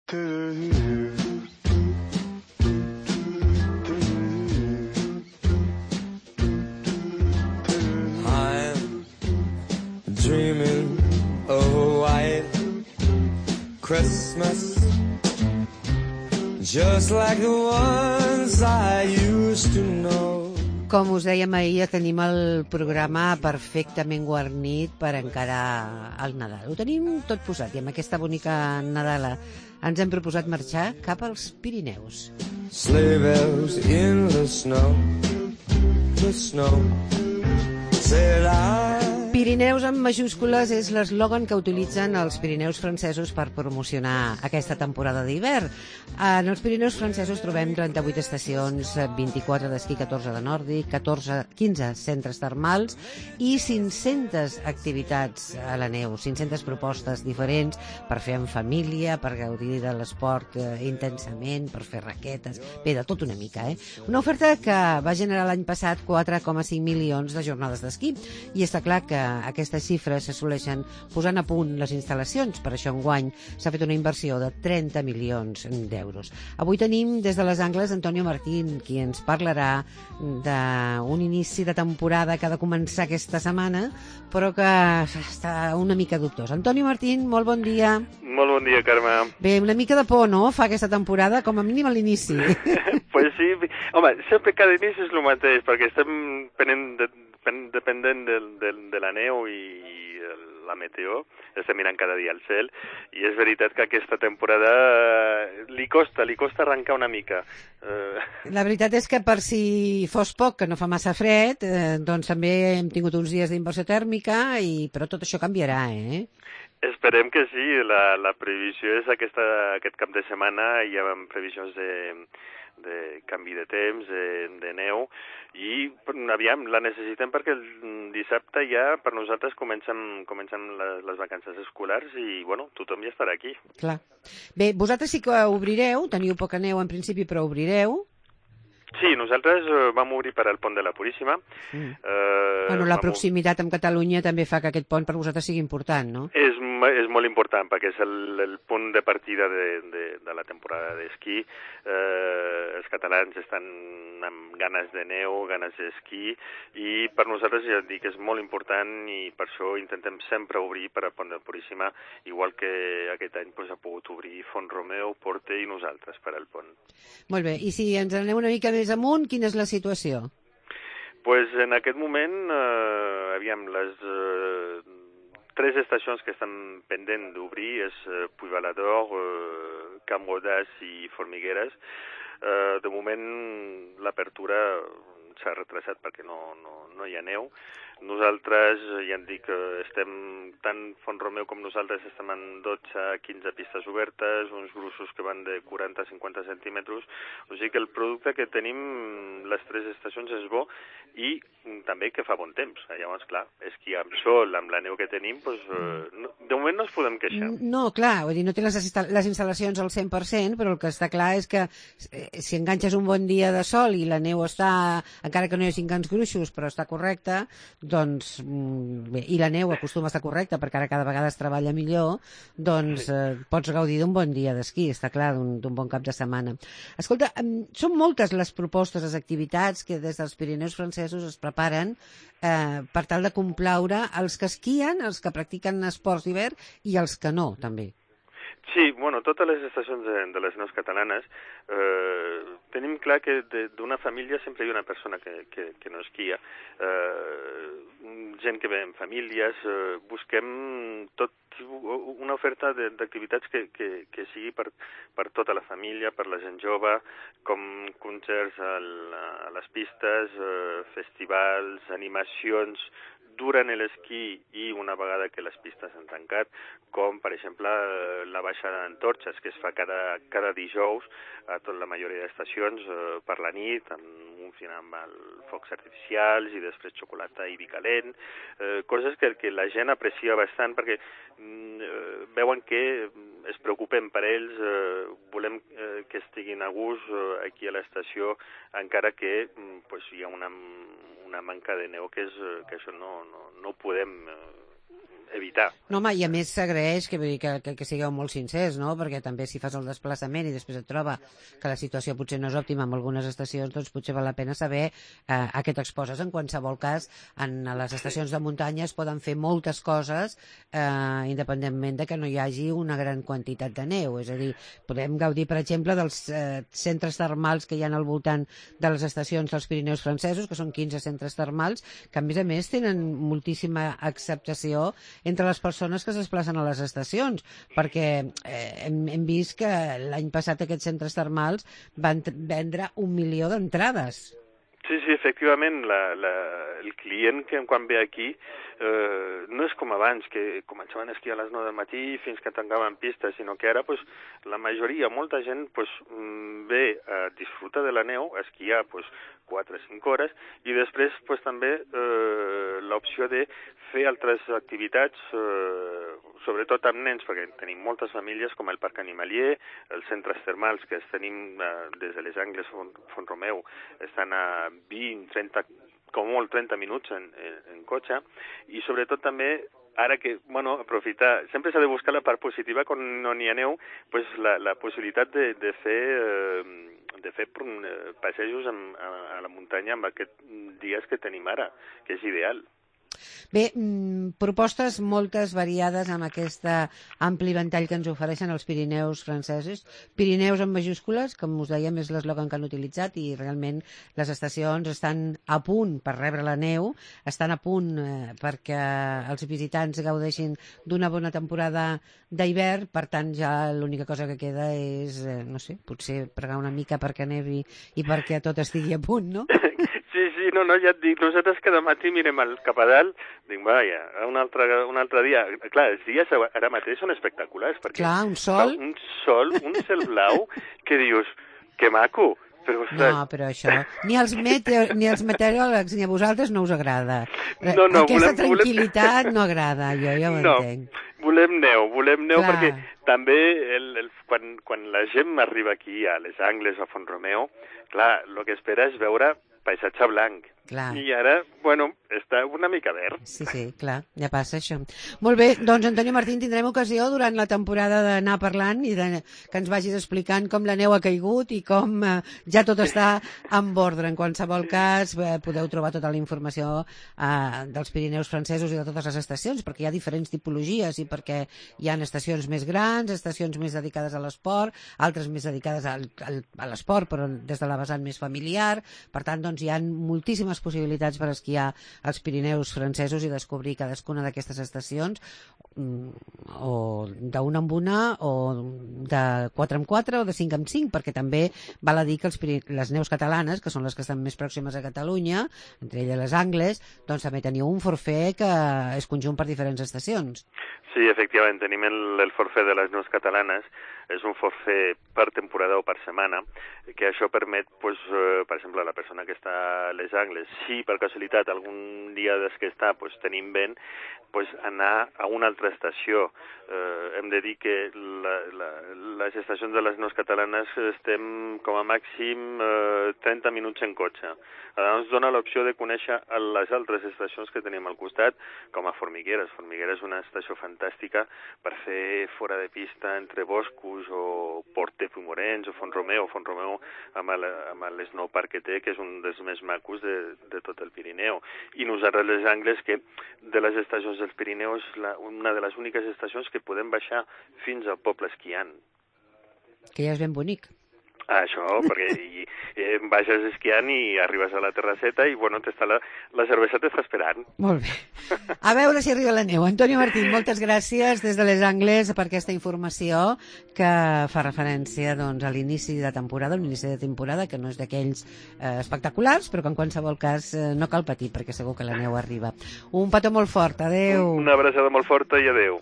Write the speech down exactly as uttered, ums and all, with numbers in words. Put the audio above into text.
Dreaming of a white Christmas, just like the ones I used to know. Com us dèiem ahir, tenim el programa perfectament guarnit per encarar el Nadal. Ho tenim tot posat i amb aquesta bonica Nadala ens hem proposat marxar cap als Pirineus. Sleigh bells in the snow, the snow, said I. Pirineus amb majúscules és l'eslògan que utilitzen els Pirineus francesos per promocionar aquesta temporada d'hivern. En els Pirineus francesos trobem trenta-vuit estacions, vint-i-quatre d'esquí, catorze de nòrdic, catorze, quinze centres termals i cinc-centes activitats a la neu, cinc-centes propostes diferents per fer en família, per gaudir de l'esport eh, intensament, per fer raquetes, bé, de tot una mica, eh? Una oferta que va generar l'any passat quatre coma cinc milions de jornades d'esquí i està clar que aquestes xifres s'assoleixen posant a punt les instal·lacions. Per això enguany s'ha fet una inversió de trenta milions d'euros. Avui tenim des de les Angles Antonio Martín, qui ens parlarà d'un inici de temporada que ha de començar aquesta setmana, però que està una mica dubtós. Antonio Martín, molt bon dia. Molt bon dia, Carme. Bé, una mica de por, no?, fa aquesta temporada, com a mínim a l'inici. Pues sí, home, sempre cada inici és el mateix, perquè estem penent de dependent de, de, de la neu i la meteo, estem mirant cada dia al cel, i és veritat que aquesta temporada li costa, li costa arrencar una mica. La veritat és que per si fos poc, que no fa massa fred, eh, doncs també hem tingut uns dies d'inversió tèrmica, i però tot això canviarà, eh? Esperem que sí, la, la previsió és aquesta, aquest cap de setmana, hi ha previsions de de canvi de temps, de, de neu, i aviam, la necessitem perquè el dissabte ja per nosaltres comencem, comencem les, les vacances escolars i, bueno, tothom ja estarà aquí. Clar. Bé, vosaltres sí que obrireu, teniu poca neu en principi, però obrireu. Sí, nosaltres vam obrir per al pont de la Puríssima. Mm. Eh, bueno, la proximitat amb Catalunya també fa que aquest pont per vosaltres sigui important, no? És, és molt important, perquè és el, el punt de partida de, de, de la temporada d'esquí. Eh, els catalans estan amb ganes de neu, ganes d'esquí, i per nosaltres, ja dic, és molt important, i per això intentem sempre obrir per al pont de la Puríssima, igual que aquest any pues, ha pogut obrir Font-romeu, Porte i nosaltres per al pont. Molt bé, i si ens anem una mica més amunt, quina és la situació? Pues en aquest moment, eh, aviam, les eh, tres estacions que estan pendent d'obrir és eh, Puigbalador, eh, Camp Rodàs i Formigueres. Eh, de moment l'apertura s'ha retrasat perquè no, no, no hi ha neu. Nosaltres, ja em dic, estem, tant Font-romeu com nosaltres, estem en dotze a quinze pistes obertes, uns gruixos que van de quaranta a cinquanta centímetres, o sigui que el producte que tenim, les tres estacions, és bo, i també que fa bon temps. Llavors, clar, esquí amb sol, amb la neu que tenim, doncs, no, de moment no ens podem queixar. No, clar, vull dir, no té les, les instal·lacions al cent per cent, però el que està clar és que si enganxes un bon dia de sol i la neu està, encara que no hi hagi grans gruixos, però està correcta, doncs, bé, i la neu acostuma a estar correcta perquè ara cada vegada es treballa millor, doncs eh, pots gaudir d'un bon dia d'esquí, està clar, d'un bon cap de setmana. Escolta, són moltes les propostes, les activitats que des dels Pirineus francesos es preparen eh, per tal de complaure els que esquien, els que practiquen esports d'hivern i els que no, també. Sí, bueno, totes les estacions de, de les neus catalanes eh, tenim clar que d'una família sempre hi ha una persona que, que, que no esquia. Eh, gent que ve en famílies, eh, busquem tot una oferta d'activitats que, que, que sigui per, per tota la família, per la gent jove, com concerts a, a les pistes, eh, festivals, animacions durant l'esquí i una vegada que les pistes han tancat, com per exemple la baixada d'antorxes que es fa cada, cada dijous a tota la majoria d'estacions eh, per la nit, amb un final amb els focs artificials i després xocolata i vi calent, eh, coses que, que la gent aprecia bastant perquè eh, veuen que es preocupem per ells, eh, volem eh, que estiguin a gust eh, aquí a l'estació, encara que pues, hi ha una, una manca de neu que, és, que això no, no, no ho podem eh, evitar. No, home, i a més s'agraeix que, que, que, que sigueu molt sincers, no? Perquè també si fas el desplaçament i després et troba que la situació potser no és òptima en algunes estacions, doncs potser val la pena saber eh, a què t'exposes. En qualsevol cas, en les estacions de muntanya es poden fer moltes coses eh, independentment de que no hi hagi una gran quantitat de neu. És a dir, podem gaudir, per exemple, dels eh, centres termals que hi ha al voltant de les estacions dels Pirineus francesos, que són quinze centres termals, que a més a més tenen moltíssima acceptació entre les persones que es desplacen a les estacions, perquè eh, hem, hem vist que l'any passat aquests centres termals van vendre un milió d'entrades. Sí, sí, efectivament, la, la, el client que quan ve aquí eh, no és com abans, que començaven a esquiar a les nou del matí fins que tancaven pistes, sinó que ara pues, la majoria, molta gent pues, ve a disfrutar de la neu, a esquiar pues, quatre o cinc hores, i després pues, també eh, l'opció de fer altres activitats, eh, sobretot amb nens, perquè tenim moltes famílies com el Parc Animalier, els centres termals que els tenim eh, des de les Angles, Font, Font Romeu, estan a vint, trenta, com molt trenta minuts en, en, en cotxe, i sobretot també ara que, bueno, aprofitar, sempre s'ha de buscar la part positiva quan no n'hi ha neu, pues la, la possibilitat de, de fer eh, de fer passejos en, a, a la muntanya amb aquests dies que tenim ara, que és ideal. Bé, mmm, propostes moltes variades amb aquest ampli ventall que ens ofereixen els Pirineus francesos. Pirineus en majúscules, com us dèiem, és l'eslògan que han utilitzat, i realment les estacions estan a punt per rebre la neu, estan a punt eh, perquè els visitants gaudeixin d'una bona temporada d'hivern, per tant ja l'única cosa que queda és, eh, no sé, potser pregar una mica perquè nevi i perquè tot estigui a punt, no? Sí, sí, no, no, ja et dic, nosaltres cada matí mirem al cap a dalt, dic, vaja, un altre, un altre dia. Clar, els dies ara mateix són espectaculars, perquè... Clar, un sol... Un sol, un cel blau, que dius, que maco, però... Ostres... No, però això... Ni els, meteo, ni els meteoròlegs ni a vosaltres no us agrada. No, no, Aquesta volem, tranquil·litat volem... no agrada, jo ja ho no, entenc. Volem neu, volem neu. Clar. Perquè també el, el, quan, quan la gent arriba aquí a les Angles, a Font Romeu, clar, el que espera és veure paisatge blanc. Clar. I ara, bueno, està una mica verd. Sí, sí, clar, ja passa això. Molt bé, doncs Antonio Martín, tindrem ocasió durant la temporada d'anar parlant i de, que ens vagis explicant com la neu ha caigut i com eh, ja tot està en ordre. En qualsevol cas, eh, podeu trobar tota la informació eh, dels Pirineus francesos i de totes les estacions, perquè hi ha diferents tipologies i perquè hi ha estacions més grans, estacions més dedicades a l'esport, altres més dedicades al, al, a l'esport, però des de la vessant més familiar. Per tant, doncs, hi ha moltíssimes possibilitats per esquiar als Pirineus francesos i descobrir cadascuna d'aquestes estacions, o d'una en una, o de quatre en quatre, o de cinc en cinc, perquè també val a dir que els, les neus catalanes, que són les que estan més pròximes a Catalunya, entre elles les Angles, doncs també teniu un forfait que és conjunt per diferents estacions. Sí, efectivament, tenim el, el forfait de les neus catalanes, és un forfait per temporada o per setmana, que això permet, pues, eh, per exemple, a la persona que està a les Angles, si per casualitat algun dia des que està pues, tenim vent, pues, anar a una altra estació. Eh, hem de dir que la, la, les estacions de les neus catalanes estem com a màxim eh, trenta minuts en cotxe. Ara ens dona l'opció de conèixer les altres estacions que tenim al costat, com a Formigueres. Formigueres és una estació fantàstica per fer fora de pista entre boscos o Port de Pumorens o Font Romeu, Font Romeu amb, el, amb l'Snowpark que té, que és un dels més macos de, de tot el Pirineu. I nosaltres les Angles, que de les estacions dels Pirineus, la, una de les úniques estacions que podem baixar fins al poble esquiant. Que ja és ben bonic. Ah, això, perquè i, eh, baixes esquiant i arribes a la terrasseta i, bueno, t'està la, la cervesa t'està esperant. Molt bé. A veure si arriba la neu. Antonio Martín, moltes gràcies des de les Angles per aquesta informació que fa referència doncs, a l'inici de temporada, un inici de temporada que no és d'aquells eh, espectaculars, però que en qualsevol cas eh, no cal patir, perquè segur que la neu arriba. Un petó molt fort. Adéu. Una abraçada molt forta i adéu.